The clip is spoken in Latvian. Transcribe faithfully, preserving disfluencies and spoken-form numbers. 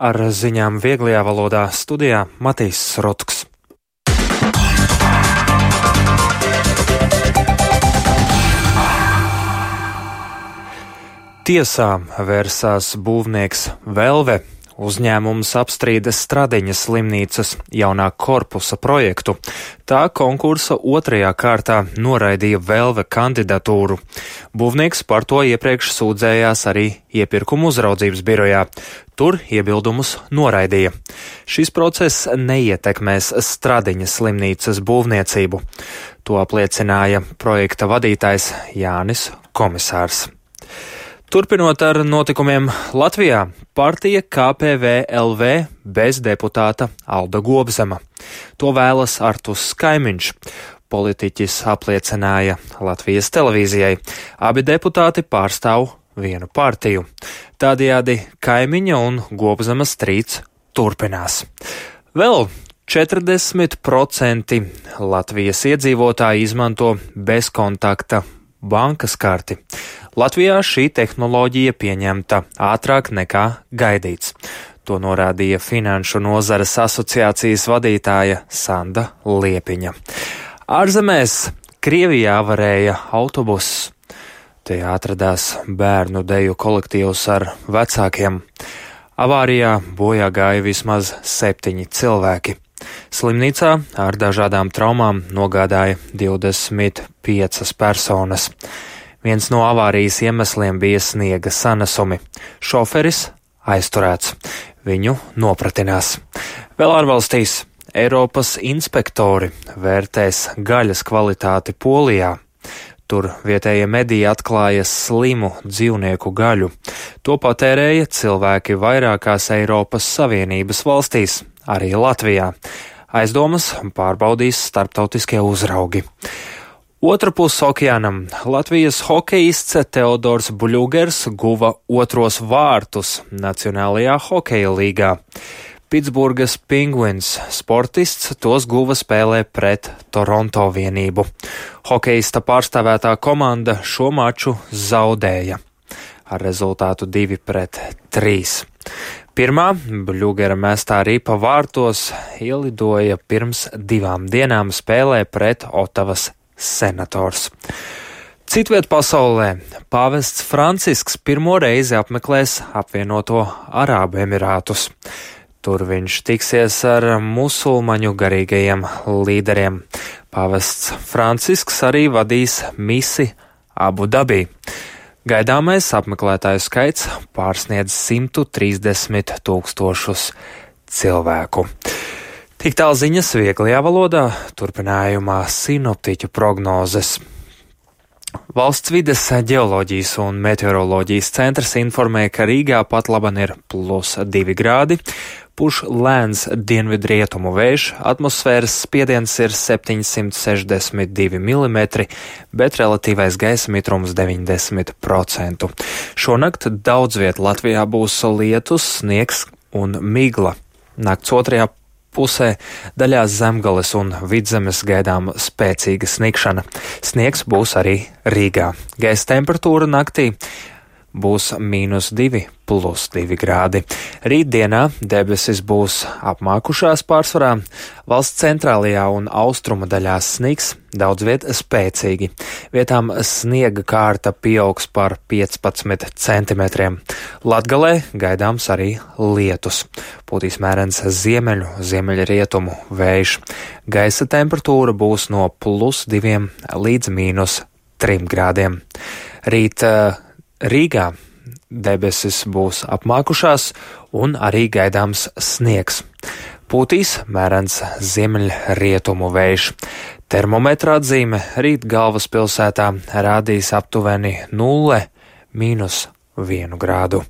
Ar ziņām vieglajā valodā studijā Matīs Srotks. Tiesā vērsās būvnieks Velve. Uzņēmums apstrīda Stradiņas slimnīcas jaunā korpusa projektu. Tā konkursa otrajā kārtā noraidīja Velve kandidatūru. Būvnieks par to iepriekš sūdzējās arī iepirkuma uzraudzības birojā. Tur iebildumus noraidīja. Šis process neietekmēs Stradiņas slimnīcas būvniecību. To apliecināja projekta vadītājs Jānis Komisārs. Turpinot ar notikumiem Latvijā, partija K P V L V bez deputāta Alda Gobzema. To vēlas Artūrs Kaimiņš. Politiķis apliecināja Latvijas televīzijai. Abi deputāti pārstāv vienu partiju. Tādējādi Kaimiņa un Gobzema strīds turpinās. Vēl četrdesmit procenti Latvijas iedzīvotāji izmanto bezkontakta bankas karti. Latvijā šī tehnoloģija pieņemta ātrāk nekā gaidīts. To norādīja Finanšu nozares asociācijas vadītāja Sanda Liepiņa. Ārzemēs Krievijā avarēja autobuss. Te atradās bērnu deju kolektīvs ar vecākiem. Avārijā bojā gāja vismaz septiņi cilvēki. Slimnīcā ar dažādām traumām nogādāja divdesmit piecas personas. Viens no avārijas iemesliem bija sniega sanesumi. Šoferis aizturēts. Viņu nopratinās. Vēl ārvalstīs Eiropas inspektori vērtēs gaļas kvalitāti Polijā. Tur vietējie mediji atklāja slimu dzīvnieku gaļu. To patērēja cilvēki vairākās Eiropas Savienības valstīs, arī Latvijā. Aizdomas pārbaudīs starptautiskie uzraugi. Otra puse okeānam Latvijas hokejists Teodors Bļugers guva otros vārtus Nacionālajā hokeja līgā. Pitsburgas Penguins sportists tos guva spēlē pret Toronto vienību. Hokejista pārstāvētā komanda šo maču zaudēja ar rezultātu divi pret trīs. Pirmā Bļugera mestā ripa vārtos ielidoja pirms divām dienām spēlē pret Otavas Senators. Citviet pasaulē pāvests Francisks pirmo reizi apmeklēs apvienoto Arābu Emirātus. Tur viņš tiksies ar musulmaņu garīgajiem līderiem. Pāvests Francisks arī vadīs misi Abu Dabī. Gaidāmais apmeklētāju skaits pārsniedz simt trīsdesmit tūkstošus cilvēku. Tik tālu ziņas vieglajā valodā, turpinājumā sinoptiķu prognozes. Valsts vides ģeoloģijas un meteoroloģijas centrs informē, ka Rīgā pat laban ir plus divi grādi, puš lēns dienvidrietumu vējš, atmosfēras spiediens ir septiņsimt sešdesmit divi milimetri, bet relatīvais gaisa mitrums deviņdesmit procenti. Šonakt daudz viet Latvijā būs lietus, sniegs un migla. Nakts otrajā pusē daļās Zemgales un Vidzemes gaidām spēcīga snikšana. Sniegs būs arī Rīgā. Gaisa temperatūra naktī būs mīnus divi plus divi grādi. Rītdienā debesis būs apmākušās pārsvarā, valsts centrālajā un austrumu daļās sniks, daudz viet spēcīgi. Vietām sniega kārta pieaugs par piecpadsmit centimetriem. Latgalē gaidāms arī lietus. Pūtīs mērens ziemeļu, ziemeļrietumu vējš. Gaisa temperatūra būs no plus diviem līdz mīnus trim grādiem. Rīt Rīgā debesis būs apmākušās un arī gaidāms sniegs. Pūtīs mērens ziemeļrietumu vējš. Termometra atzīme rīt galvaspilsētā rādīs aptuveni nulle mīnus vienu grādu.